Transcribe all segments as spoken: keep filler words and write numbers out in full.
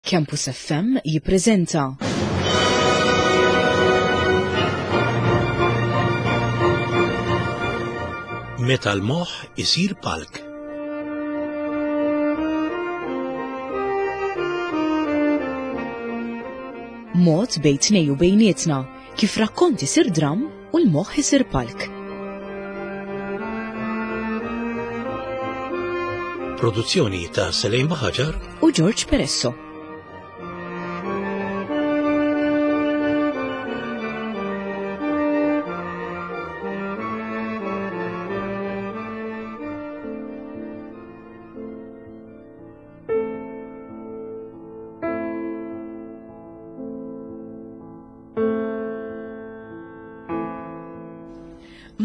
Campus F M jippreżenta Meta l-moħħ isir palk. Mod bejn tnejn u bejnietna kif rakkont isir dram u l-moħħ isir palk. Produzzjoni ta' Selejn Baħaġar u George Peresso.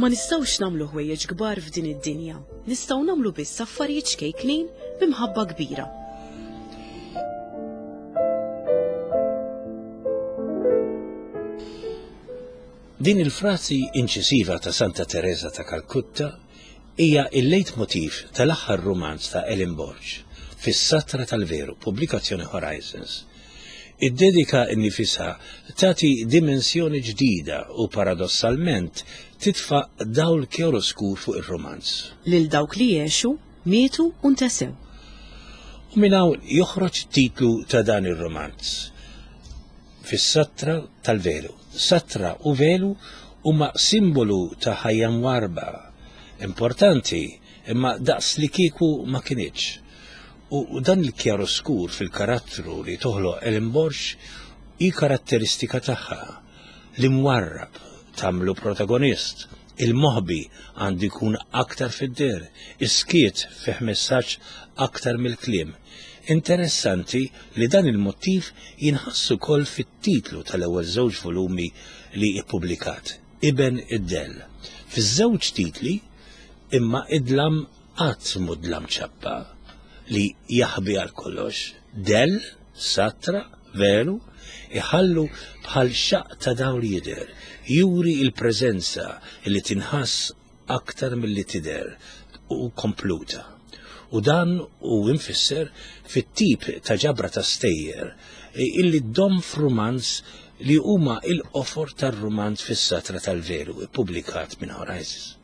Ma nistgħux nagħmlu ħwejjeġ kbar f'din id-dinja. Nistgħu nagħmlu biss affarijiet ċkejknin b'imħabba kbira. Din il-frażi inċisiva ta' Santa Teresa ta' Kalkutta hija il-leitmotiv tal-aħħar rumanz ta' Ellen Borg, Fis-Satra tal-Veru, pubblikazzjoni Horizons. Id-dedika nnifisha tagħti dimensjoni ġdida u paradossalment titfa' dawl kjaroskur fuq ir-rumanz. Lil dawk li għexu, mietu u ntesew. U minn hawn joħroġ titlu ta' dan ir-romanz. Fis-Satra tal-Velu. Satra u velu huma simbolu ta' ħajja mwarba. Importanti, imma daqs li kieku ma kinitx. U dan il-kjaroskur fil-karattru li toħloq Ellen Borg hi karatteristika tagħha. L-imwarrab tagħmlu protagonist, il-moħbi għandu jkun aktar fid-deher, is-skiet fih messaġġ aktar mill-kliem. Interessanti li dan il-motiv jinħass ukoll fit-titlu tal-ewwel żewġ volumi li ippubblikat, Iben id-Dell. Fiż-żewġ titli imma id-dlam qatt mhu dlam ċappa li jaħbi għal kollox. Dell, satra, velu, iħallu bħal xaq ta' dawl jidher, juri il-preżenza li tinħass aktar milli tidher u kompluta. U dan hu imfisser fit-tip ta' ġabra ta' stejjer illi dom f'rumanz li huma il-qofor tar-rumanz Fis-Satra tal-Veru, ippubblikat minn Horizons.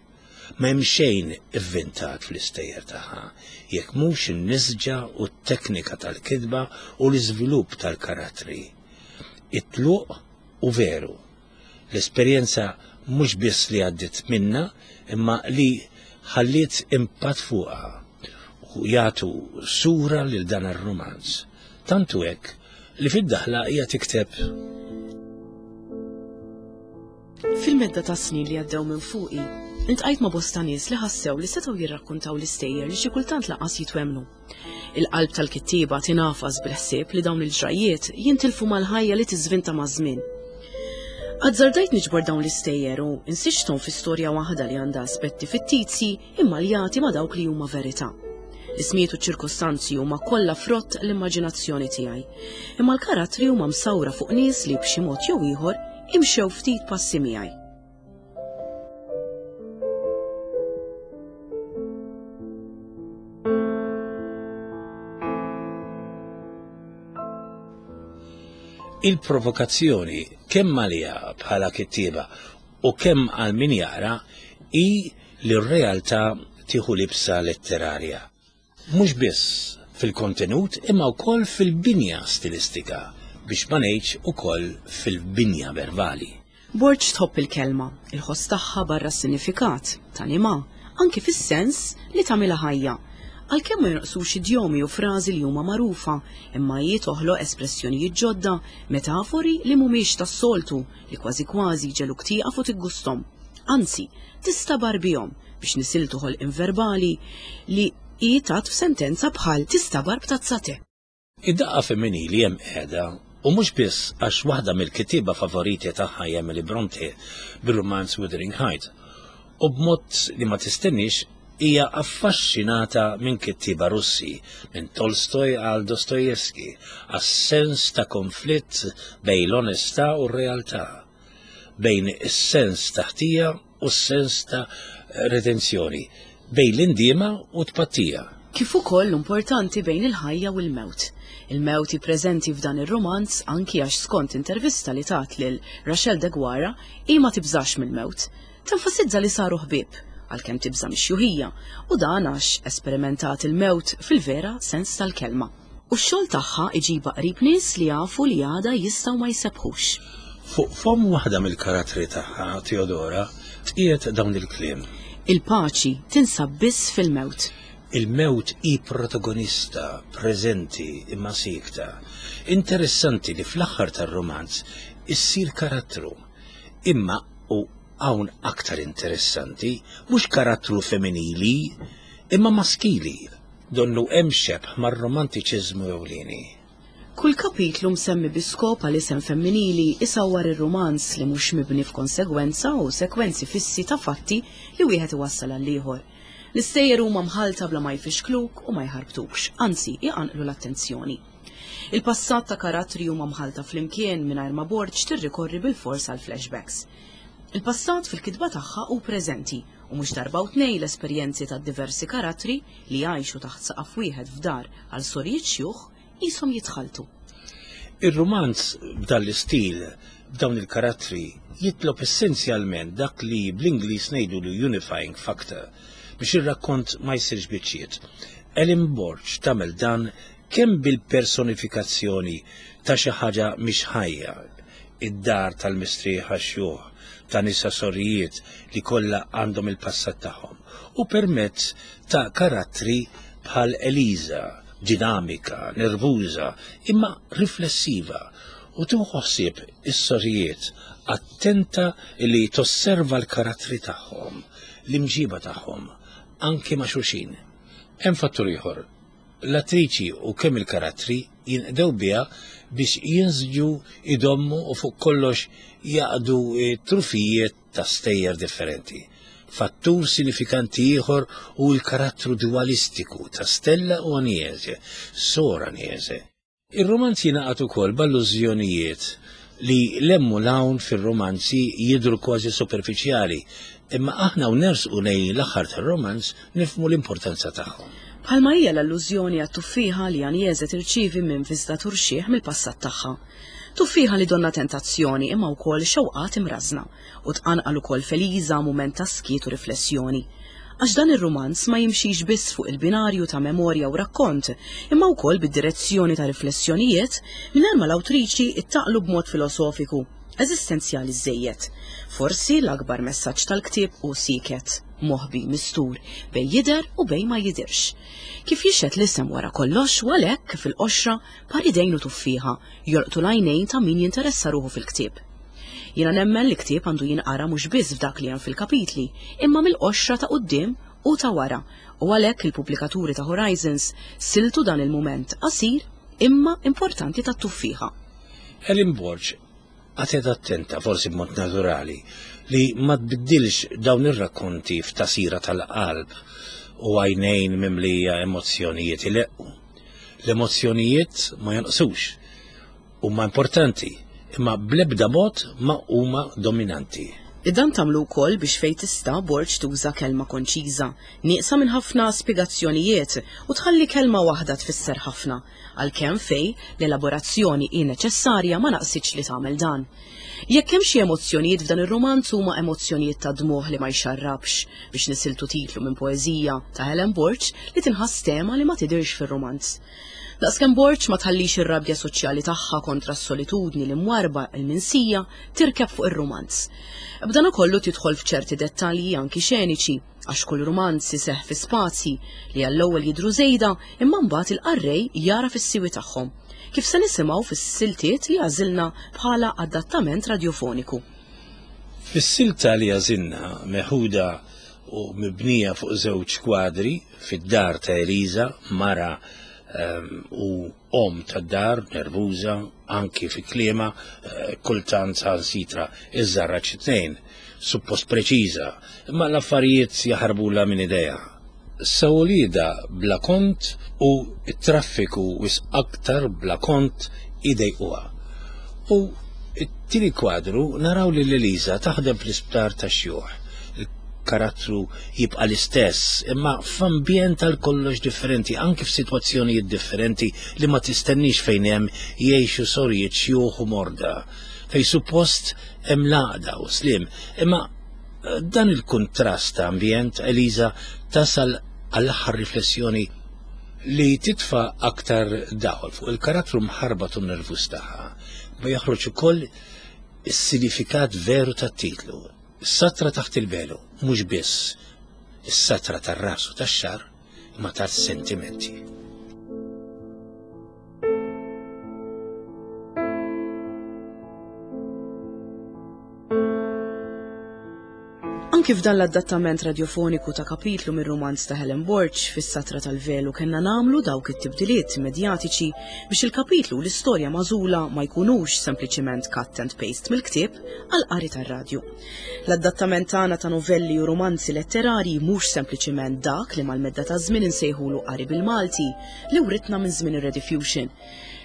Ma hemm xejn ivvintat fl-istejjer tagħha, jekk mhux in-nisġa u t-teknika tal-kitba u l-iżvilupp tal-karattri. It-tluq u veru. L-esperjenza mhux biss li għaddiet minna, imma li ħalliet impatt fuqha u jagħtu sura lil dan ir-rumanz. Tantu hekk li fid-daħla hija tikteb: Fil-medda ta' snin li għaddew minn fuqi, iltqajt ma' bosta nies li ħassew li setgħu jirrakkuntaw l-istejjer li xi kultant lanqas jitwemnu. Il-qalb tal-kittieba tingħafas bil-ħsieb li dawn il-ġrajiet jintilfu mal-ħajja li tiżvinta maż-żmien. Azzardajt niġbor dawn l-istejjer u nsiġthom fi storja waħda li għandha aspetti fittizji imma li jagħti ma' dawk li huma verità. L-ismijiet u ċirkostanzi huma kollha frott l-immaġinazzjoni tiegħi. Imma l-karattri huma msawra fuq nies li b'xi mod jew ieħor imxew ftit passi miegħi. Il-provokazzjoni kemm għaliha bħala kittieba u kemm għal min jaqra hi li r-realtà tieħu libsa letterarja. Mhux biss fil-kontenut imma wkoll fil-binja stilistika, biex ma ngħidx ukoll fil-binja verbali. Borg tħobb il-kelma, il-ħoss tagħha barra s-sinifikat, tanima, anki fis-sens li tagħmilha ħajja. Għalkemm ma jonqsux idjomi u frażi li huma magħrufa, imma hi toħloq espressjonijiet ġodda, metafori li mhumiex tas-soltu li kważi kważi jġegħluk tieqaf u tiggusthom. Anzi, tistabar bihom biex nisiltu ħolqien verbali li hi tat f'sentenza bħal tistabar b'tazza te. Id-daqqa femminili hemm qiegħda u mhux biss għax waħda mill-kittieba favoriti tagħha hi Emily Bronte bir-rumanz Wuthering Heights u b'mod li ma tistenniex hija affaxxinata minn kittieba Russi, minn Tolstoj għal Dostoyevsky, għas-sens ta' konflitt bejn l-onestà u r-realtà, bejn is-sens ta' ħtija u s-sens ta' redenzjoni, bejn l-indiema u tpattija. Kif ukoll importanti bejn il-ħajja u l-mewt. Il-mewt hi preżenti f'dan ir-romanz anki għax skont intervista li tat lil Rachel Deguara hi ma tibżax mill-mewt. Tenfasizza li saru ħbieb għalkemm tibża' mix-xjuħija u dan għax esperimentat il-mewt fil-vera sens tal-kelma. U x-xogħol tagħha iġibha qrib nies li jafu li għada jistgħu ma jsebbħux. Fuq fomm waħda mill-karattri tagħha, Teodora, tqiegħed dawn il-kliem. Il-paċi tinsab biss fil-mewt. Il-mewt hi protagonista, preżenti imma siekta. Interessanti li fl-aħħar tar-romanz issir karattru. Imma u hawn aktar interessanti, mhux karattru femminili, imma maskili. Donnu hemm xebh mar-romantiċiżmu ewlieni. Kull kapitlu msemmi bi skop għal isem femminili isawwar ir-romanz li mhux mibni f'konsegwenza u sekwenzi fissi ta' fatti li wieħed iwassal għal ieħor. L-istejjer huma mħalta bla ma jfixkluk u ma jħarbtukx, anzi iqanqlu l-attenzjoni. Il-passat ta' karattri huma mħalta flimkien mingħajr ma Borg tirrikorri bil-fors għal flashbacks. Il-passat fil-kitba tagħha hu preżenti u mhux darba u tnejn l-esperjenzi ta' diversi karattri li jgħixu taħt saqaf wieħed f'dar għal sorijiet xjuħ qishom jitħaltu. Ir-romanz b'dan l-istil, b'dawn il-karattri, jitlob essenzjalment dak li bl-Ingliż ngħidu unifying factor biex ir-rakkont ma jsirx biċċiet. Ellen Borg tagħmel dan kemm bil-personifikazzjoni ta' xi ħaġa mhix ħajja, id-dar tal-mistrieħa xjuħ, ta' nisa sorijiet li kollha għandhom il-passat tagħhom, u permezz ta' karattri bħal Eliza, dinamika, nervuża, imma riflessiva, u tieħu ħsieb is-sorijiet, attenta li tosserva l-karattri tagħhom, l-imġiba tagħhom, anke ma' xulxin. Hemm fattur ieħor. L-attriċi u kemm il-karattri jinqdew biha biex jinsġu idommu u fuq kollox jaqdu trufijiet ta' stejjer differenti. Fattur sinifikanti ieħor hu l-karattru dualistiku ta' Stella u Agnese, Sor Agnese. Ir-romanzi jingħaqad ukoll b'allużjonijiet li lemmu l-hawn fir-romanzi jidhru kważi superfiċjali, imma aħna u nersqu lejn l-aħħar tar-romanz nifhmu l-importanza tagħhom. Bħalma hija l-allużjoni għat-tuffieħa li Agnese tirċievi minn viżitatur xiħ mill-passat tagħha. Tuffieħa li donna tentazzjoni imma wkoll xewqat imrażna u tqanqal ukoll f'Eliza mument ta' skiet u riflessjoni. Għax dan ir-romanz ma jimxix biss fuq il-binarju ta' memorja u rakkont, imma wkoll bid-direzzjoni ta' riflessjonijiet mingħajr ma l-awtriċi ittaqlu b'mod filosofiku, eżistenzjali żejjed. Forsi l-akbar messaġġ tal-ktieb hu sieket, moħbi, mistur, bejn jidher u bejn ma jidirx. Kif jixhed l-isem wara kollox u għalhekk fil-qoxra par idejn u tuffieħa jolqtu l-għajnejn ta' min jinteressa ruħu fil-ktieb. Jiena nemmen li ktieb għandu jinqara mhux biss f'dak li hemm fil-kapitli, imma mill-qoxra ta' quddiem u ta' wara, u għalhekk il-pubblikaturi ta' Horizons siltu dan il-mument qasir imma importanti tat-tuffieħa. Ellen Borg qagħdet attenta, forsi b'mod naturali, li ma tbiddilx dawn ir-rakkonti f'tasira tal-qalb u għajnejn mimlija emozzjonijiet ileqqu. L-emozzjonijiet ma jonqsux, huma importanti, imma bl-ebda mod ma huma dominanti. Dan tagħmlu wkoll biex fejn tista' Borg tuża kelma konċiża, nieqsa minn ħafna spjegazzjonijiet u tħalli kelma waħda tfisser ħafna, għalkemm fejn l-elaborazzjoni hi neċessarja ma naqsitx li tagħmel dan. Jekk hemm xi emozzjonijiet f'dan ir-romanz huma emozzjonijiet ta' dmugħ li ma jxarrabx biex nisiltu titlu minn poeżija ta' Helen Borg li tinħass tema li ma tidirx fir-romanz. Daqskemm Borg ma tħallix ir-rabja soċjali tagħha kontra s-solitudni li mwarba il-minsija tirkeb fuq ir-romanz. B'dan ukollu tidħol f'ċerti dettalji anki xeniċi, għax kull romanz iseħħ fi spazji li għall-ewwel jidhru żejda imma mbagħad il-qarrej jara fis-siwi tagħhom, kif se nisimgħu fis-siltiet li għażilna bħala adattament radjofoniku. Fis-silta li għażilna meħuda u mibnija fuq żewġ kwadri fid-dar ta' Eliza, mara u om tad-dar, nervuża, anki fi kliema, kultant sitra iż-żarra tnejn, suppost preċiża, imma l-affarijiet jaħarbula minn idea. Sawlida bla kont u t-traffiku wis aktar bla kont idejquha. U t-tieni kwadru naraw lil Eliza taħdem fl-isptar tax-xjuħ. karattru jibqa' l-istess, imma f'ambjent għal kollox differenti, anki f'sitwazzjonijiet differenti li ma tistennix fejn hemm jgħixu sorijiet xjuħ u morda, fejn suppost hemm l-għaqda u slim. Imma dan il-kuntrast ta' ambjent, Eliża tasal għall-aħħar riflessjoni li titfa' aktar dawl fuq il-karattru mħarbat u nervuż tagħha, ma joħroġ ukoll is-sinifikat veru tat-titlu. Is-satra taħt il-velu, mhux biss is-satra tar-ras u tax-xagħar, imma tas-sentimenti. Anki f'dan l-adattament radiofoniku ta' kapitlu mir-rumanz ta' Helen Borg fis-Satra tal-Velu kellna nagħmlu dawk it-tibdiliet medjatiċi biex il-kapitlu u l-istorja magħżula ma jkunux sempliċiment cut and paste mill-ktieb għal qari tar-radju. L-adattament tagħna ta' novelli u romanzi letterari mhux sempliċiment dak li mal-medda ta' żmien insejħulu qari bil-Malti li writna minn żmien ir-Rediffusion.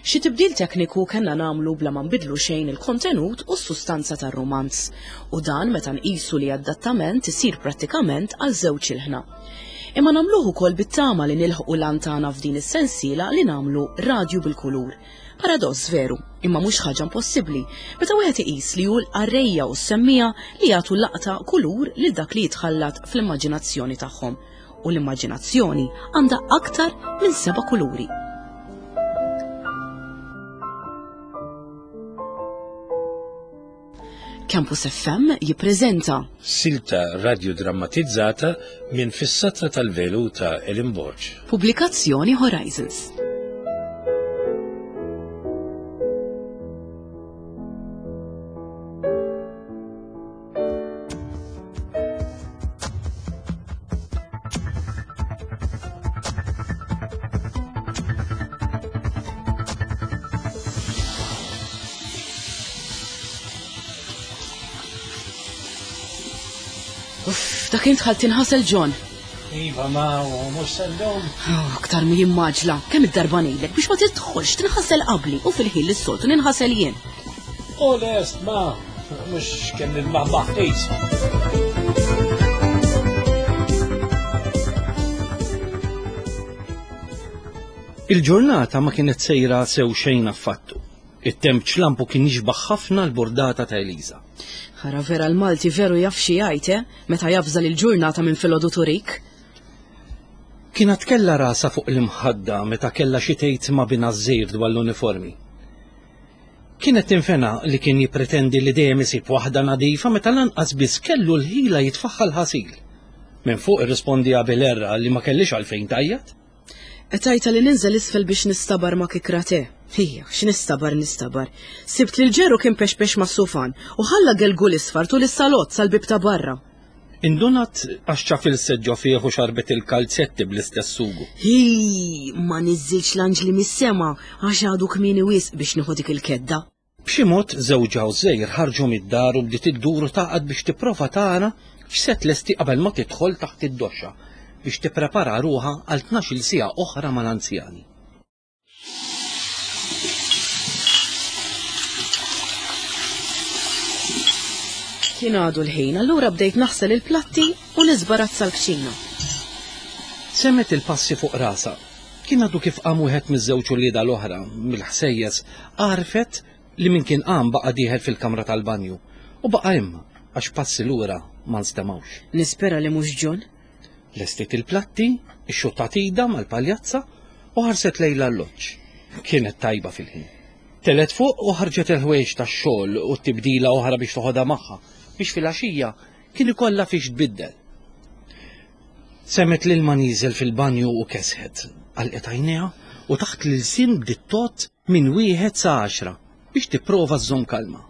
Xi tibdil tekniku kellna nagħmlu bla ma nbidlu xejn il-kontenut u s-sustanza tar-romanz, u dan meta nqisu li adattament isir prattikament għal żewġ ilħna. Imma nagħmluh ukoll bit-tama li nilħqu l-għan tagħna f'din is-sensiela li nagħmlu radju bil-kulur. Paradoss veru, imma mhux ħaġa impossibbli meta wieħed iqis li hu l-qarrejja u s-semmija li jagħtu laqta kulur lil dak li jitħallat fl-immaġinazzjoni tagħhom, u l-immaġinazzjoni għandha aktar minn seba' kuluri. Campus F M jippreżenta silta radiodrammatizzata minn Fis-Satra tal-Velu ta' Helen Borg. Pubblikazzjoni Horizons. Uff, dak int ħalt tinħasel John. Iva, ma mhux sendhom. Oh, aktar mi jimmaġla, kemm id-darba ngħidlek biex ma tidħolx tinħasel qabli u fil-ħin li s-soltu ninħasel jien. U lest, ma mhux kemm il-maħmaħ. Il-ġurnata ma kienet sejra sew xejn affattu. It-temp ċlampu kien jixbaħ ħafna l-bordata ta' Eliża. Ħara vera l-Malti veru jaf xi jgħid, eh? Meta jafżal il-ġurnata minn filgħodu turik. Kienet kellha rasa fuq l-imħadda meta kellha xi tgħid ma' binha żgħir dwar l-uniformi. Kienet tinfena li kien jippretendi li dejjem isib waħda nadifa meta lanqas biss kellu l-ħila jitfaħħal ħasil. Minn fuq irrispondiha bil-erra li ma kellix għalfejn tajjat. Qed li ninżel isfel biex nistabar ma' kikrate. Hija, x'nistabar nistabar. Sibt li l-ġeru kien pexpex ma' sufan u ħalla gelgul isfar tul is-salott sal-bib ta' barra. Indunat għax ċafil seġġo fih u xarbet il-kalzetti bl-istess sugu. Hi, ma niżżilx l-anġli mis-sema għax għadu kmieni wisq biex nieħu dik il-kedda. B'xi mod żewġha u żgħir ħarġu mid-dar u bdiet iddur u taqgħad biex tipprova tara x'se tlesti qabel ma tidħol taħt id-doxxa biex tipprepara ruħha għal tnax-il siegħa oħra mal-anzjani. Kien għadu l-ħin, allura bdejt naħsel il-platti u niżbarazza l-kċina. Semmet il-passi fuq rasa. Kien għadu kif qam wieħed miż-żewġ uliedha l-oħra mill-ħsejjes, għarfet li min kien qam baqa' dieħel fil-kamra tal-banju u baqa' imma għax passi lura ma nstemgħux. Nispera li mhux John. Lestiet il-platti, ix-xuttat ida mal-paljazza u ħarset lejla l-loġġ. Kienet tajba fil-ħin. Telet fuq u ħarġet il-ħwejġ tax-xogħol u t-tibdila oħra biex toħodha magħha biex fil-għaxija kien ikollha fiex tbiddel. Semmet lil ma nieżel fil-banju u kesħet, għalqet għajnejha u taħt l-ilsien bdiet tot minn wieħed sa għaxra biex tipprova żżomm kalma.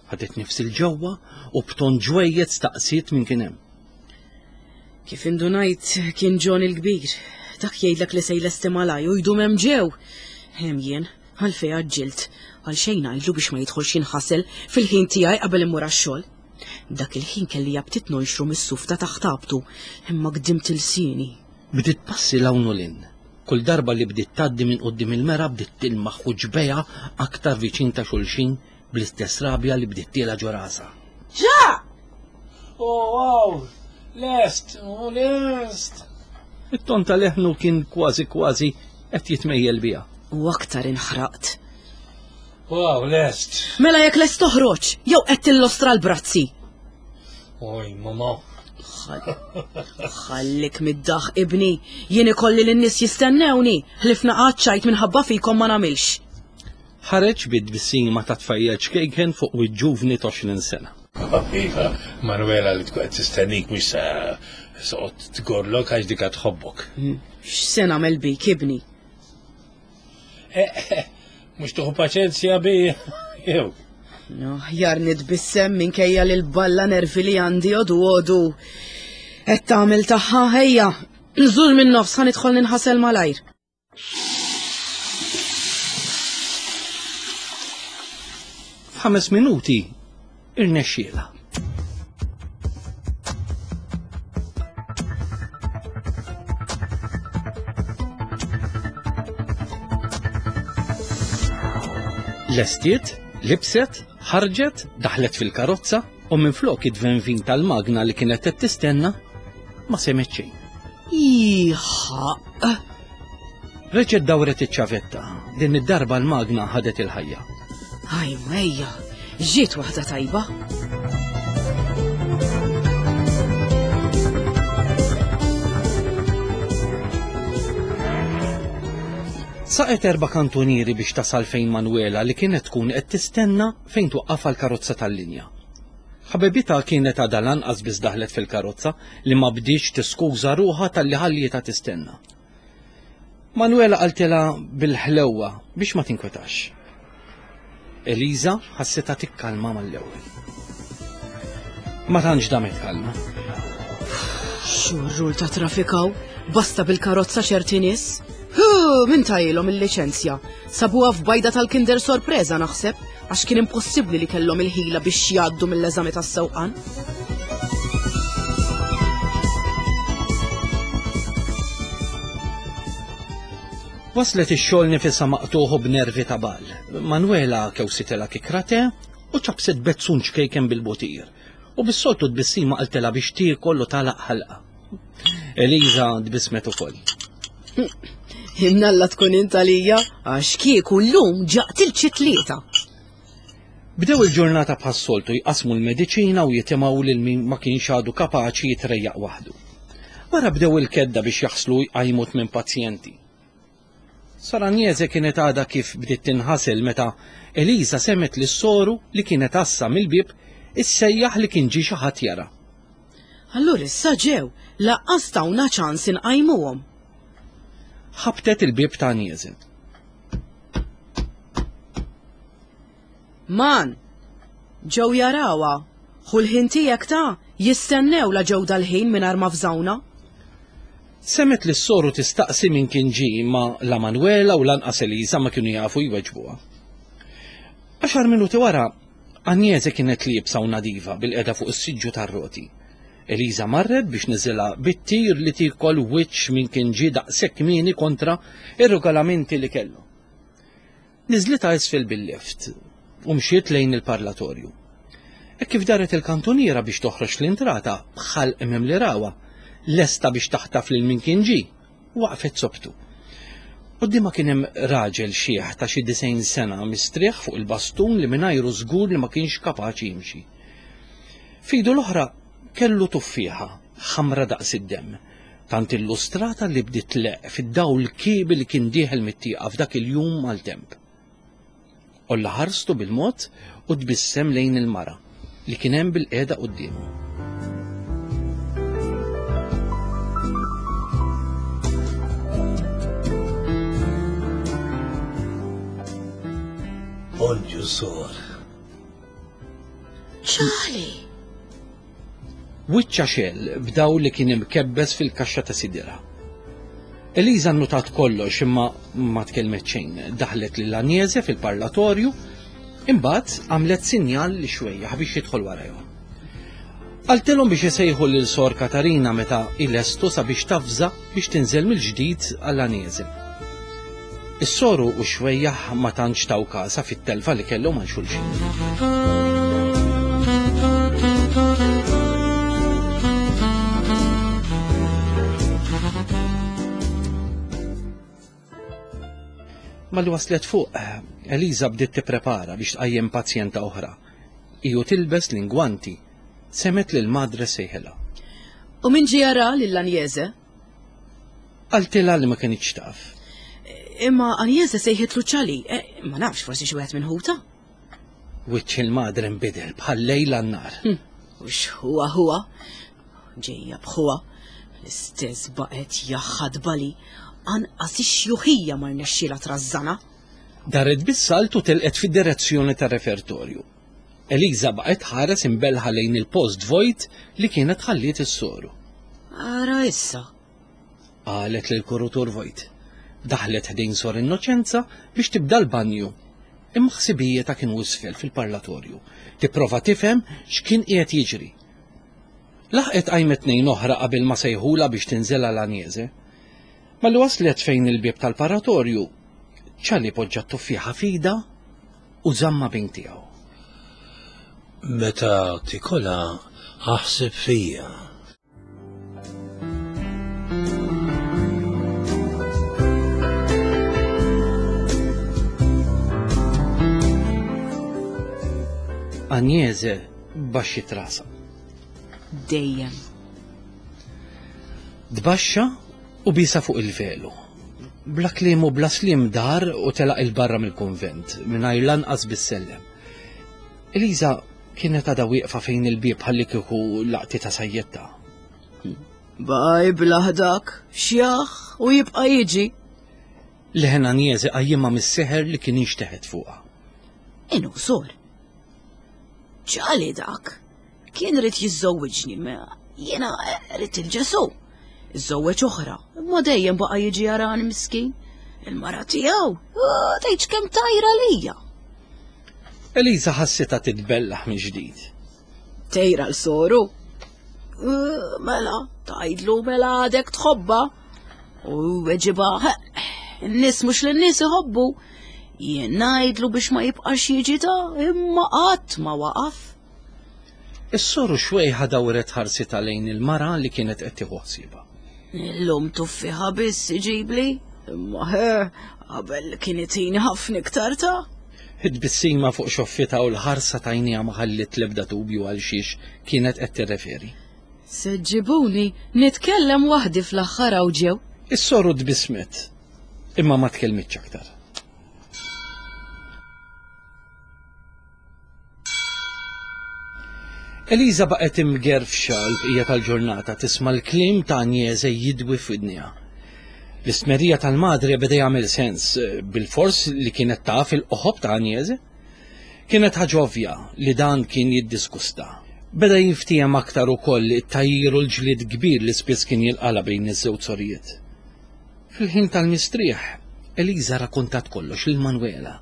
Ħadet nifs il-ġewwa u b'ton ġwejjed staqsiet minn kien hemm. Kif indunajt kien John il-kbir. Dak jgħidlek li se jlesti malaj u jdum hemm ġew. Hemm jien, għalfejn għaġġilt, għal xejn ngħidlu biex ma jidħolx jinħasel fil-ħin tiegħi qabel immur għax-xogħol. Dak il-ħin kelli jabtit nonxru mis-suf ta' taħt abtu, imma qdimt ilsieni. Bdiet passi 'l hawn u 'l hinn. Kull darba li bdiet tgħaddi minn quddiem il-mera bdiet tilmaħ u ġbejha aktar viċin ta' xulxin bl-istess rabja li bdiet tiela' ġo rasha. Ġa! Oh, wow! Lest, u lest. It-ton ta' leħnu kien kważi kważi qed jitmejjel biha. U aktar inħraqt. Wow, lest. Mela jekk lest toħroġ, jew qed tillostra l-brazzi. Oj, mama. Ħallik mid-daħ ibni, jien ikolli lin-nies jistennewni, ħlifna qaċċajt minħabba fikom ma nagħmilx. Ħareġ bid-tbissima ta' tfajjel ċkejken fuq wiġġuvni t'għoxrin sena. Iva, Manuela li tkun qed tistennik mhux sa soqgħod tgorlok għax dika tħobbok. X'se nagħmel bik ibni? Mhux tuħu paċenzja bi jew. No, jar nitbissem minkejja li l-balla nervi li għandi għodu għodu. Qed tagħmel tagħha ejja, nżur minn nofs ħa nidħol ninħasel malajr. F'ħames minuti irnexxielha. Lestiet, libset, ħarġet, daħlet fil-karozza u minflok id-dvenvin tal-magna li kienet qed tistenna ma semgħet xejn. Iħaq. Reġgħet dawret iċ-ċavetta, din id-darba l-magna ħadet il-ħajja. Aj mejja, ġiet waħda tajba. Saqet erba' kantunieri biex tasal fejn Manuela li kienet tkun qed tistenna fejn twaqqaf l-karozza tal-linja. Ħabibitha kienet għadha lanqas biss daħlet fil-karozza li ma bdietx tiskuża ruħha talli ħallietha tistenna. Manuela qaltilha bil-ħlewwa biex ma tinkwetax. Eliza ħassitha tikkalma mal-ewwel. Ma tantx damet kalma. Xurrul ta' trafikaw, basta bil-karozza ċerti nies. Hu, min tajilhom il-liċenzja? Sabuha f'bajda tal-Kinder Sorpresa naħseb, għax kien impossibbli li kellhom il-ħila biex jgħaddu mill-eżami tas-sewqan. Waslet ix-xogħol nifisha maqtuħu b'nervi ta' bal. Manuela kewsitela kikrate u ċabset bezzun ċkejken bil-butir. U bis-soltu tbissima qaltilha biex tiekol u tagħlaq ħalqa. Eliza tbissmet ukoll. Innalla tkun int għalija, għax kieku llum ġaqtil xi tlieta. Bdew il-ġurnata bħas-soltu jqasmu l-mediċina u jitimgħu lil min ma kienx għadu kapaċi jitrejjaq waħdu. Wara bdew il-kedda biex jaħslu jqajmu tmien pazjenti. Sor Agnese kienet għadha kif bdiet tinħasel meta Eliza semmet lis-soru li kienet għassa mill-bieb issejjaħ li kien ġie xi ħadd jara. Allura issa ġew, laqqas tawna ċans inqajmuhom. Ħabtet il-bieb ta' Agnese. Man, ġew jarawha, ħu l-ħin tiegħek ta' jistennew la ġew dal-ħin mingħajr ma fżawna. Semmet li s-soru tistaqsi min kien ġie ma la Manuela u lanqas Eliza ma kienu jafu jweġbuha. Għaxar minuti wara, Agnese kienet liebsa u nadiva bil-qeda fuq is-siġġu tar-roti. Eliza marret biex niżilha bit-tir li tiekol wiċċ min kien ġie daqshekk kmieni kontra ir-regolamenti li kellu. Niżlitha isfel bil-lift u mxiet lejn il-parlatorju. E kif daret il-kantuniera biex toħroġ l-intrata bħal imem li rawa, lesta biex taħtaf lil min kien ġie, waqfet sobtu. Quddiemha kien hemm raġel xieħ ta' xi disgħin sena mistrieħ fuq il-bastun li mingħajru żgur li ma kienx kapaċi jimxi. F'idu l-oħra kellu tuffieħa ħamra daqs id-demm, tant illustrata li bdiet tleqq fid-dawl kiebi li kien dieħel mit-tieqa f'dak il-jum mal-temp. Olla ħarstu bil-mod u tbissem lejn il-mara li kien hemm bil-qiegħda quddiemu. Bonġu, sor. Charlie! Wiċċa xell b'daw li kien imkebbes fil-kaxxa ta' sidira. Eliza nnutat kollox imma ma tkellmet xejn. Daħlet lil Agnese fil-parlatorju, imbagħad għamlet sinjal li xwejjaħ biex jidħol warajhom. Qaltilhom biex isejħu lil Sor Katarina meta ilestu sabiex tafża biex tinżel mill-ġdid għal Agnese. Is-soru u xwejjaħ ma tantx taw kasa fit-telfa li kellhom għal xulxin. Malli waslet fuq, Eliża bdiet tipprepara biex tqajjem pazjenta oħra. Iju tilbes l-ingwanti, semgħet lil Madre sejħilha. U min ġie jara lil Anjeze? Qaltilha li ma kinitx taf. Imma Anjeze sejħitlu Ċali, eh, ma nafx forsi xi wieħed minn ħuta. Wiċċ il-Madre nbidel bħal lejl għan-nar. Hm, u x'huwa huwa? Ġejja b'ħuha. L-istess baqgħet jaħadbali. Anqas ix-xjuħija ma rnexxielha trażżana. Daret bis-salt u telqet fid-direzzjoni tar-refertorju. Eliża baqgħet ħares imbelħa lejn il-post vojt li kienet ħalliet is-soru. Ara issa, qalet lil kurutur vojt. Daħlet ħdejn Sor Innoċenza biex tibda l-banju. Imma ħsibijietha kienu isfel fil-parlatorju. Tipprova tifhem x'kien qiegħed jiġri. Laħqet qajmet tnejn oħra qabel ma sejħulha biex tinżel għal Anjeze. Malli waslet fejn il-bieb tal-paratorju, Ċali poġġa t-tuffieħa f'idha u żamma bejn tiegħu. Meta tikolha aħseb fija. Anjeze baxxiet rasha. Dejjem. Tbaxxa u bisa fuq il-velu. Bla kliem u bla slim dar u telaq il-barra mill-kunvent, mingħajr lanqas bis-sellem. Eliża kienet għadha wieqfa fejn il-bieb ħalli kieku laqti ta' sajjetta. Baj blaħdak, xjaħ u jibqa' jiġi. Leħen Anjeze qajjimha mis-seħer li kien inxteħet fuqha. Inu sor. Ċali dak. Kien rid jiżżewwiġni, ma jiena rid il-Ġesu. Iżżewweġ oħra, imma dejjem baqa' jiġi jarani miskin. Il-mara tiegħu, tgħidx kemm tajra lija. Eliża ħassitha titbellaħ minn ġdid. Tejra l-soru. Mela, tgħidlu mela għadek tħobba. U weġiba, n-nies mhux lin-nies iħobbu. Jien ngħidlu biex ma jibqax jiġi ta' imma qatt ma waqaf. Is-soru xwejħa dawret ħarsitha lejn il-mara li kienet qed tieħu ħsiebha. Illum tuffiħa biss iġibli, imma he, qabel kien itini ħafna iktar ta'. It-tbissima fuq xoffitha u l-ħarsa t'għajnejha ma ħalliet l-ebda dubju għal xiex kienet qed tirreferi. Se ġibuni nitkellem waħdi fl-aħħar hawn ġew. Is-soru tbissmet, imma ma tkellmitx aktar. Eliża baqgħet imgerfxa l-bqija tal-ġurnata tisma' l-kliem ta' Anjeze jidwi f'widniha. L-istmerija tal-madre beda jagħmel sens bil-fors li kienet taf il-qoħob ta' Anjeze. Kienet ħaġa ovvja li dan kien jiddiskusta. Beda jinftiehem aktar ukoll it-tajjir u l-ġlied kbir li spiss kien jilqala bejn iż-żewġ sorijiet. Fil-ħin tal-mistrieħ, Eliża rakkontat kollox lil Manuela.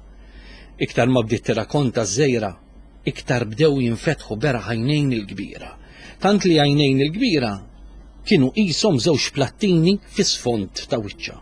Iktar ma bdiet tirrakkonta ż-żejra, iktar bdew jinfetħu beraħ għajnejn il-kbira. Tant li għajnejn il-kbira kienu qishom żewġ plattini fis-sfond ta' wiċċha.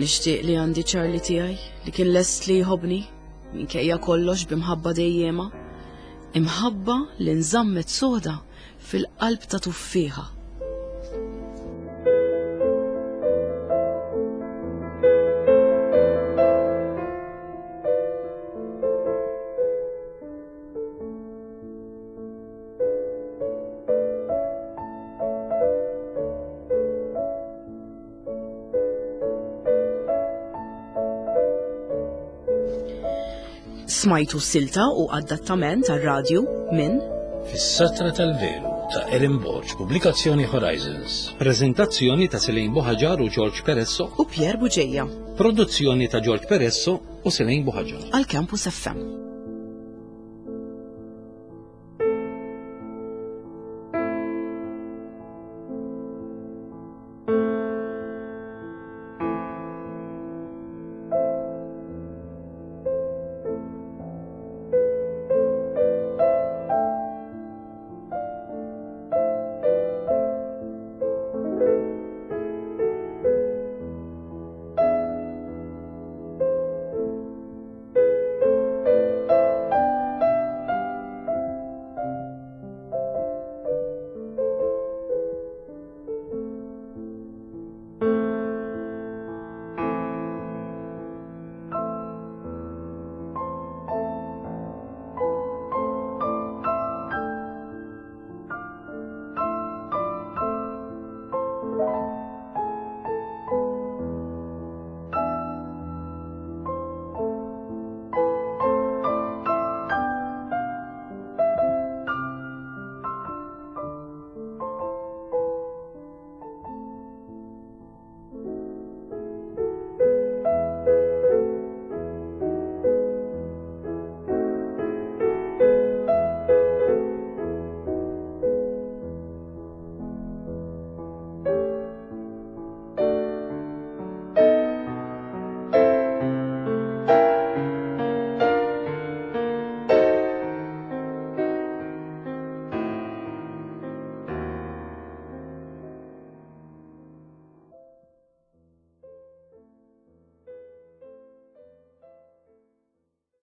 Kemm nixtieq li għandi Charlie tiegħi li kien lest li jħobbni minkejja kollox b'imħabba dejjema. Imħabba li nżammet soda fil-qalb ta' tuffieħa. Smajtu silta u adattament għal-radju minn Fis-Satra tal-Velu ta' Erin Borg, pubblikazzjoni Horizons. Prezentazzjoni ta' Selene Buhaġar u George Peresso, u Pierre Bugeja produzzjoni ta' George Peresso u Selene Buhaġar. għal Campus F M.